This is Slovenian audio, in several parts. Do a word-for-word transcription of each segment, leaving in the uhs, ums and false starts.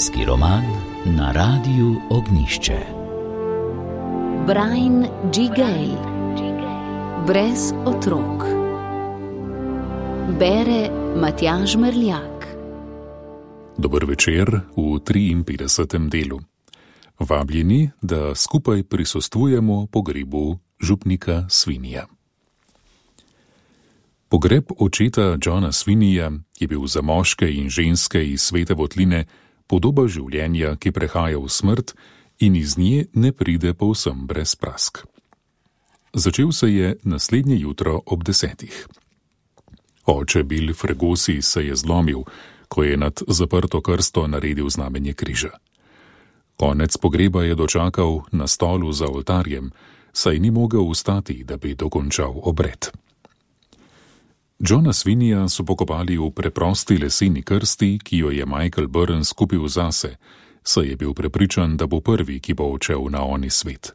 Družinski roman na Radiu Ognjišče. Brian G. Gale. Brez otrok. Bere Matjaž Merljak. Dober večer v triinpetdesetem delu. Vabljeni, da skupaj prisostvujemo pogrebu župnika Svinija. Pogreb očeta Johna Svinija je bil za moške in ženske iz Svete Votline podoba življenja, ki prehaja v smrt in iz nje ne pride povsem brez prask. Začel se je naslednje jutro ob desetih. Oče Bill Fregosi se je zlomil, ko je nad zaprto krsto naredil znamenje križa. Konec pogreba je dočakal na stolu za oltarjem, saj ni mogel vstati, da bi dokončal obred. Johna Svinija so pokopali v preprosti leseni krsti, ki jo je Michael Burns kupil zase, saj je bil prepričan, da bo prvi, ki bo odšel na oni svet.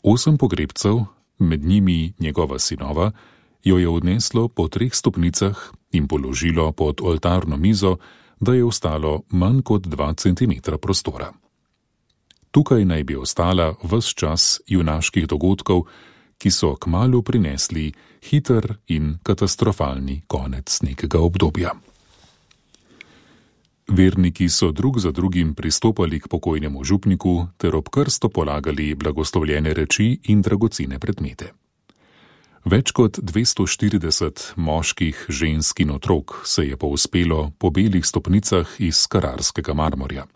Osem pogrebcev, med njimi njegova sinova, jo je odneslo po treh stopnicah in položilo pod oltarno mizo, da je ostalo manj kot dva centimetra prostora. Tukaj naj bi ostala ves čas junaških dogodkov, ki so kmalu prinesli hiter in katastrofalni konec nekega obdobja. Verniki so drug za drugim pristopali k pokojnemu župniku ter ob krsto polagali blagoslovljene reči in dragocene predmete. Več kot dvesto štirideset moških, žensk in otrok se je povzpelo po belih stopnicah iz kararskega marmorja.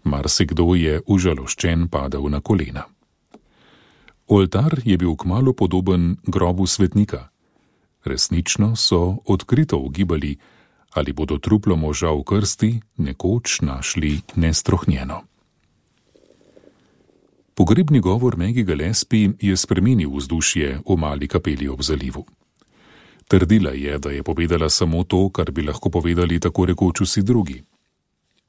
Marsikdo je užaloščen padal na kolena. Oltar je bil kmalu podoben grobu svetnika. Resnično so odkrito ugibali, ali bodo truplo moža v krsti nekoč našli nestrohnjeno. Pogrebni govor Maggie Gillespie je spremenil vzdušje v mali kapeli ob zalivu. Trdila je, da je povedala samo to, kar bi lahko povedali tako rekoč vsi drugi.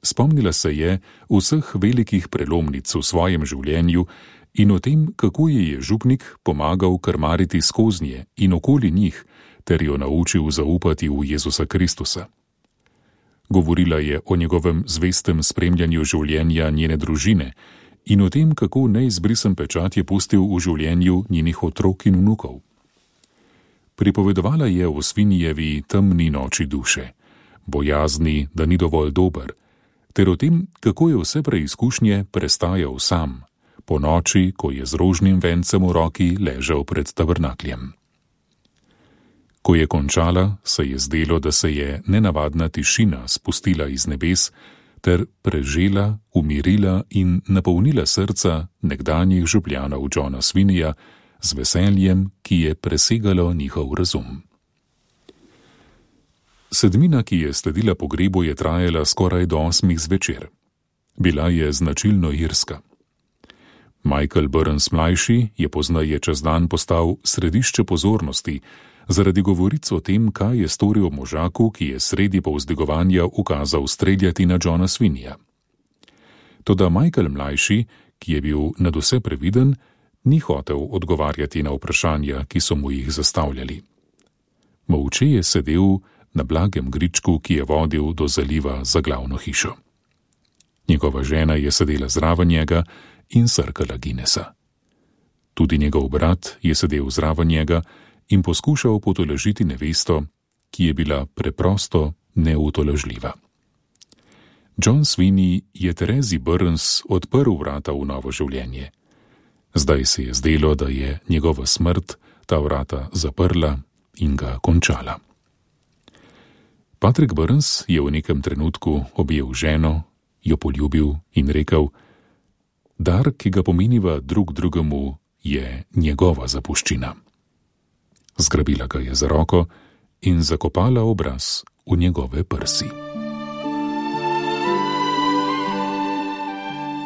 Spomnila se je vseh velikih prelomnic v svojem življenju in o tem, kako ji je župnik pomagal krmariti skoznje in okoli njih, ter jo naučil zaupati v Jezusa Kristusa. Govorila je o njegovem zvestem spremljanju življenja njene družine in o tem, kako neizbrisen pečat je pustil v življenju njenih otrok in vnukov. Pripovedovala je o Svinijevi temni noči duše, bojazni, da ni dovolj dober, ter o tem, kako je vse preizkušnje prestajal sam, po noči, ko je z rožnim vencem v roki ležal pred tabernakljem. Ko je končala, se je zdelo, da se je nenavadna tišina spustila iz nebes ter prežela, umirila in napolnila srca nekdanjih župljanov Johna Svinija z veseljem, ki je presegalo njihov razum. Sedmina, ki je sledila pogrebu, je trajala skoraj do osmih zvečer. Bila je značilno irska. Michael Burns mlajši je poznaje čez dan postal središče pozornosti zaradi govoric o tem, kaj je storil možaku, ki je sredi povzdigovanja ukazal streljati na Johna Svinija. Toda Michael mlajši, ki je bil nadvse previden, ni hotel odgovarjati na vprašanja, ki so mu jih zastavljali. Molče je sedel na blagem gričku, ki je vodil do zaliva za glavno hišo. Njegova žena je sedela zraven njega in srkala Guinnessa. Tudi njegov brat je sedel zraven njega in poskušal potolažiti nevesto, ki je bila preprosto neutolažljiva. John Sweeney je Terezi Burns odprl vrata v novo življenje. Zdaj se je zdelo, da je njegova smrt ta vrata zaprla in ga končala. Patrick Burns je v nekem trenutku objel ženo, jo poljubil in rekel: dar, ki ga pomeniva drug drugemu, je njegova zapuščina. Zgrabila ga je za roko in zakopala obraz v njegove prsi.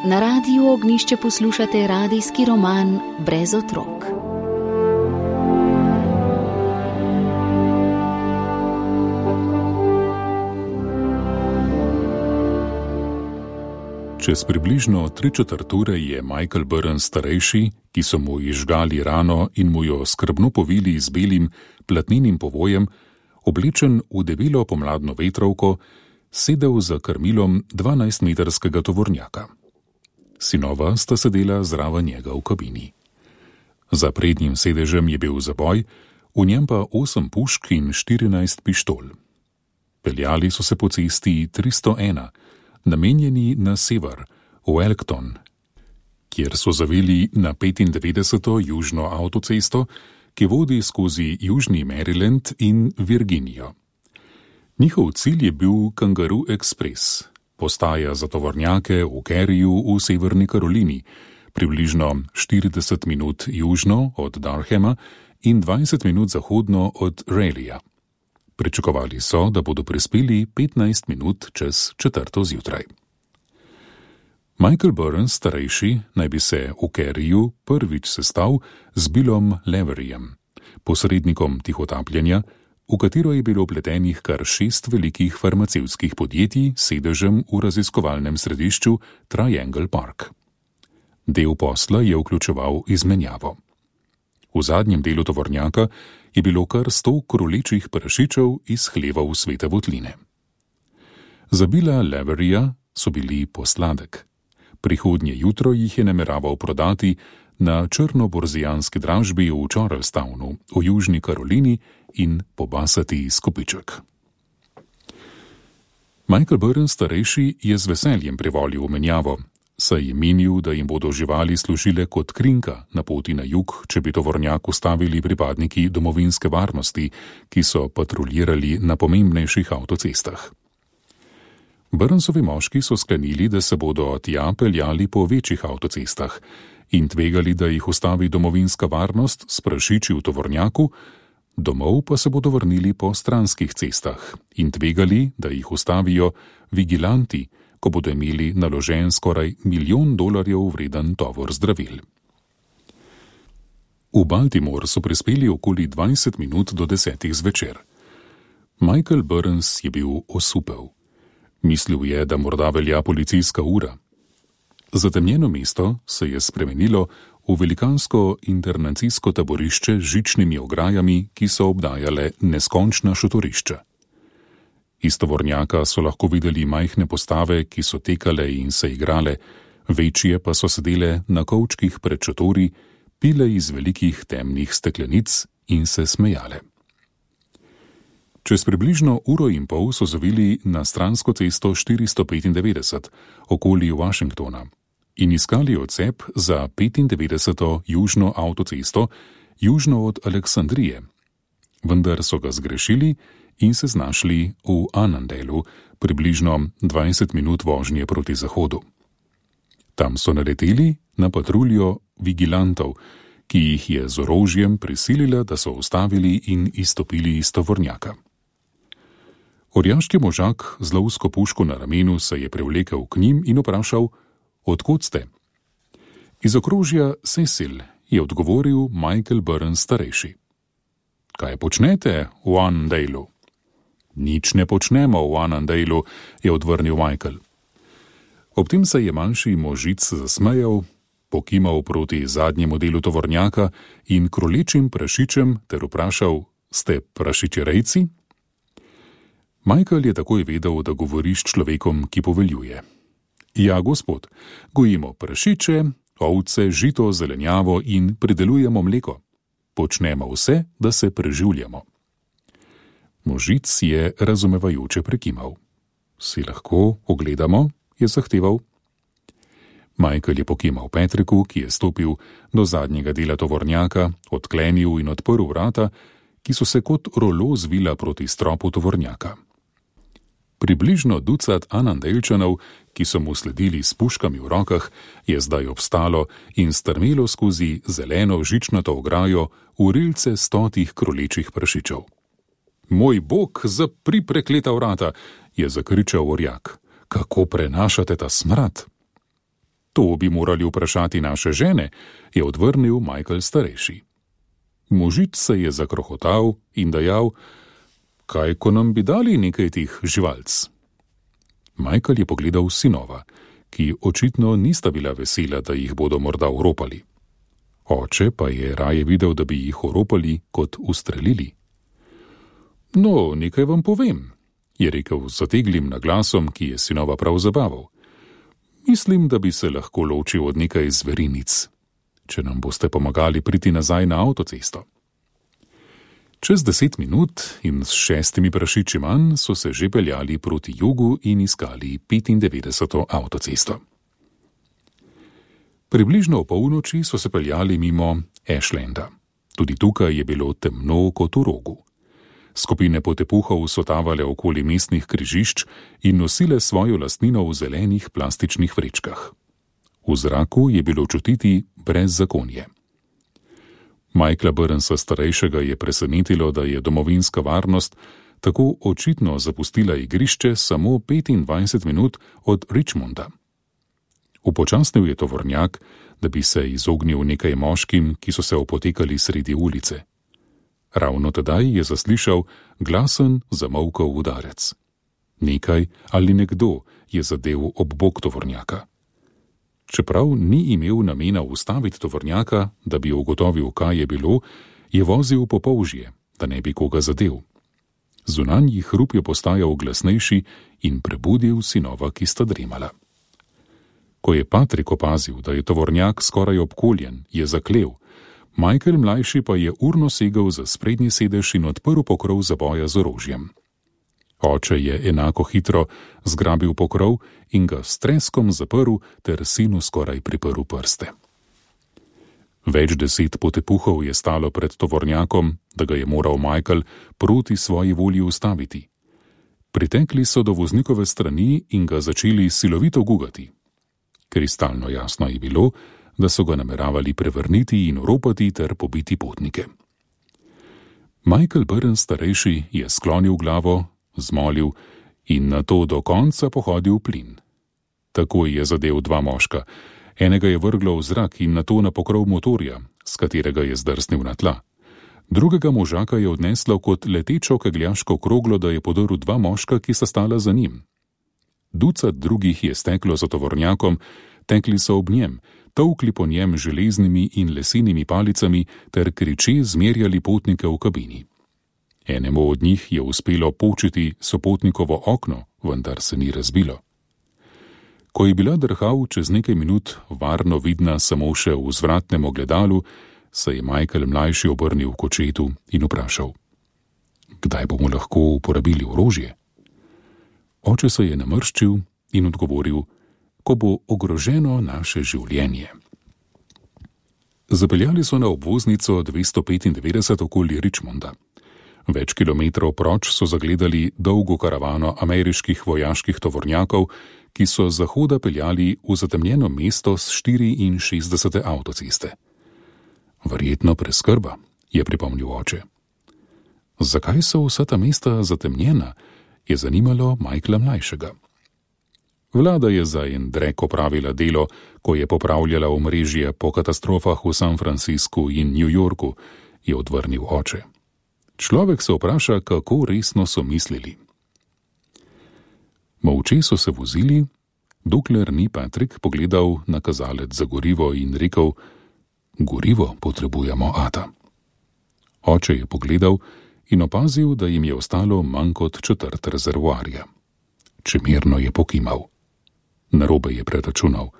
Na Radiu Ognjišče poslušate radijski roman Brez otrok. Čez približno tri četrt ure je Michael Burns starejši, ki so mu izžgali rano in mu jo skrbno povili z belim platnenim povojem, oblečen v debelo pomladno vetrovko, sedel za krmilom dvanajstmetrskega tovornjaka. Sinova sta sedela zraven njega v kabini. Za prednjim sedežem je bil zaboj, v njem pa osem pušk in štirinajst pištol. Peljali so se po cesti tristo ena, namenjeni na sever, v Elkton, kjer so zavili na petindevetdeseto južno avtocesto, ki vodi skozi južni Maryland in Virginijo. Njihov cilj je bil Kangaroo Express, postaja za tovornjake v Caryju v Severni Karolini, približno štirideset minut južno od Durhama in dvajset minut zahodno od Raleighja. Pričakovali so, da bodo prispeli petnajst minut čez četrto zjutraj. Michael Burns starejši naj bi se v Caryju prvič sestal z Billom Laveryjem, posrednikom tihotapljenja, v katero je bilo vpletenih kar šest velikih farmacevtskih podjetij s sedežem v raziskovalnem središču Triangle Park. Del posla je vključeval izmenjavo. V zadnjem delu tovornjaka je bilo kar sto krolečih prašičev iz hlevov Svete Votline. Za Billa Laveryja so bili posladek. Prihodnje jutro jih je nameraval prodati na črnoborzijanski dražbi v Charlestownu v Južni Karolini in pobasati skopiček. Michael Burns starejši je z veseljem privolil v menjavo, saj je menil, da jim bodo živali služile kot krinka na poti na jug, če bi tovornjak ustavili pripadniki domovinske varnosti, ki so patruljirali na pomembnejših avtocestah. Burnsovi moški so sklenili, da se bodo tja peljali po večjih avtocestah in tvegali, da jih ustavi domovinska varnost s prašiči v tovornjaku, domov pa se bodo vrnili po stranskih cestah in tvegali, da jih ustavijo vigilanti, ko bodo imeli naložen skoraj milijon dolarjev vreden tovor zdravil. V Baltimore so prispeli okoli dvajset minut do desetih zvečer. Michael Burns je bil osupel. Mislil je, da morda velja policijska ura. Zatemnjeno mesto se je spremenilo v velikansko internacijsko taborišče z žičnimi ograjami, ki so obdajale neskončna šotorišča. Iz tovornjaka so lahko videli majhne postave, ki so tekale in se igrale, večje pa so sedele na kovčkih pred šotori, pile iz velikih temnih steklenic in se smejale. Čez približno uro in pol so zavili na stransko cesto štiristo petindevetdeset okoli Washingtona in iskali odcep za petindevetdeseto južno avtocesto južno od Aleksandrije, vendar so ga zgrešili in se znašli v Annandalu, približno dvajset minut vožnje proti zahodu. Tam so naleteli na patruljo vigilantov, ki jih je z orožjem prisilila, da so ustavili in izstopili iz tovornjaka. Orjaški možak z lovsko puško na ramenu se je privlekel k njim in vprašal, odkot ste? Iz okrožja Cecil, je odgovoril Michael Burns starejši. Kaj počnete v Annandalu? Nič ne počnemo v Annandalu, je odvrnil Michael. Ob tem se je manjši možic zasmejal, pokimal proti zadnjemu delu tovornjaka in krolečim prašičem ter vprašal, ste prašičerejci? Michael je takoj vedel, da govori s človekom, ki poveljuje. Ja, gospod, gojimo prašiče, ovce, žito, zelenjavo in pridelujemo mleko. Počnemo vse, da se preživljamo. Možic je razumevajoče prekimal. Si lahko ogledamo, je zahteval. Michael je pokimal Patricku, ki je stopil do zadnjega dela tovornjaka, odklenil in odprl vrata, ki so se kot rolo zvila proti stropu tovornjaka. Približno ducat Annandalčanov, ki so mu sledili s puškami v rokah, je zdaj obstalo in strmelo skozi zeleno žičnato ograjo v rilce stotih krolečih prašičev. Moj bog, zapri prekleta vrata, je zakričal orjak. Kako prenašate ta smrad? To bi morali vprašati naše žene, je odvrnil Michael starejši. Možič se je zakrohotal in dejal, kaj ko nam bi dali nekaj tih živalc? Michael je pogledal sinova, ki očitno nista bila vesela, da jih bodo morda oropali. Oče pa je raje videl, da bi jih oropali kot ustrelili. No, nekaj vam povem. je rekel z zateglim naglasom, ki je sinova prav zabaval. Mislim, da bi se lahko ločil od nekaj zverinic, če nam boste pomagali priti nazaj na avtocesto. Čez deset minut in s šestimi prašiči manj so se že peljali proti jugu in iskali petindevetdeseto avtocesto. Približno o polnoči so se peljali mimo Ashlanda. Tudi tukaj je bilo temno kot v rogu. Skupine potepuhov so tavale okoli mestnih križišč in nosile svojo lastnino v zelenih plastičnih vrečkah. V zraku je bilo čutiti brezzakonje. Michaela Burnsa starejšega je presenetilo, da je domovinska varnost tako očitno zapustila igrišče samo petindvajset minut od Richmonda. Upočasnil je tovornjak, da bi se izognil nekaj moškim, ki so se opotekali sredi ulice. Ravno tedaj je zaslišal glasen zamolkal udarec. Nekaj ali nekdo je zadel ob bok tovornjaka. Čeprav ni imel namena ustaviti tovornjaka, da bi ugotovil, kaj je bilo, je vozil po polžje, da ne bi koga zadel. Zunanji hrup je postajal glasnejši in prebudil sinova, ki sta dremala. Ko je Patrik opazil, da je tovornjak skoraj obkoljen, je zaklel. Michael mlajši pa je urno segel za sprednji sedež in odprl pokrov zaboja z orožjem. Oče je enako hitro zgrabil pokrov in ga s treskom zaprl ter sinu skoraj priprl prste. Več deset potepuhov je stalo pred tovornjakom, da ga je moral Michael proti svoji volji ustaviti. Pritekli so do voznikove strani in ga začeli silovito gugati. Kristalno jasno je bilo, da so ga nameravali prevrniti in oropati ter pobiti potnike. Michael Burns starejši je sklonil glavo, zmolil in nato do konca pohodil plin. Takoj je zadel dva moška. Enega je vrglo v zrak in nato na pokrov motorja, s katerega je zdrsnil na tla. Drugega možaka je odneslo kot letečo kegljaško kroglo, da je podrl dva moška, ki sta stala za njim. Ducat drugih je steklo za tovornjakom, tekli so ob njem, tolkli po njem železnimi in lesenimi palicami ter kriče zmerjali potnike v kabini. Enemu od njih je uspelo počiti sopotnikovo okno, vendar se ni razbilo. Ko je bila drhav čez nekaj minut varno vidna samo še v vzvratnem ogledalu, se je Michael mlajši obrnil k očetu in vprašal: Kdaj bomo lahko uporabili orožje? Oče se je namrščil in odgovoril: Ko bo ogroženo naše življenje. Zapeljali so na obvoznico dvesto petindevetdeset okoli Richmonda. Več kilometrov proč so zagledali dolgo karavano ameriških vojaških tovornjakov, ki so z zahoda peljali v zatemnjeno mesto s štiriinšestdesete avtoceste. Verjetno preskrba, je pripomnil oče. Zakaj so vsa ta mesta zatemnjena, je zanimalo Michaela mlajšega. Vlada je za en drek opravila delo, ko je popravljala omrežje po katastrofah v San Franciscu in New Yorku, je odvrnil oče. Človek se vpraša, kako resno so mislili. Molče so se vozili, dokler ni Patrik pogledal na kazalec za gorivo in rekel: Gorivo potrebujemo, ata. Oče je pogledal in opazil, da jim je ostalo manj kot četrt rezervoarja. Čemerno je pokimal. Narobe je preračunal.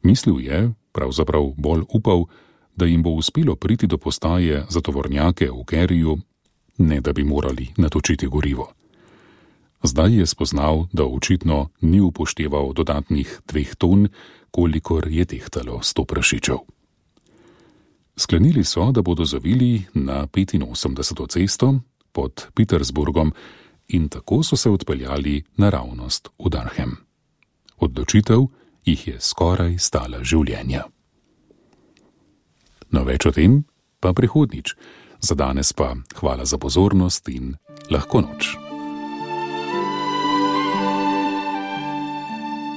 Mislil je, pravzaprav bolj upal, da jim bo uspelo priti do postaje za tovornjake v Kerryju, ne da bi morali natočiti gorivo. Zdaj je spoznal, da očitno ni upošteval dodatnih dveh ton, kolikor je tehtalo sto prašičev. Sklenili so, da bodo zavili na petinosemdeseto cesto pod Petersburgom in tako so se odpeljali naravnost v Durham. Odločitev jih je skoraj stala življenja. No, več o tem pa prihodnjič. Za danes pa hvala za pozornost in lahko noč.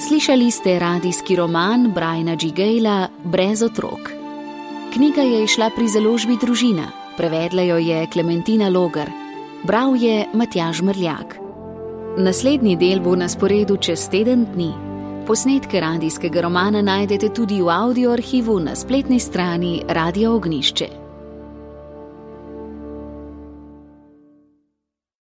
Slišali ste radijski roman Briana G. Gayla Brez otrok. Knjiga je izšla pri založbi Družina, prevedla jo je Klementina Logar, bral je Matjaž Mrljak. Naslednji del bo na sporedu čez teden dni. Posnetke radijskega romana najdete tudi v audio arhivu na spletni strani Radia Ognjišče.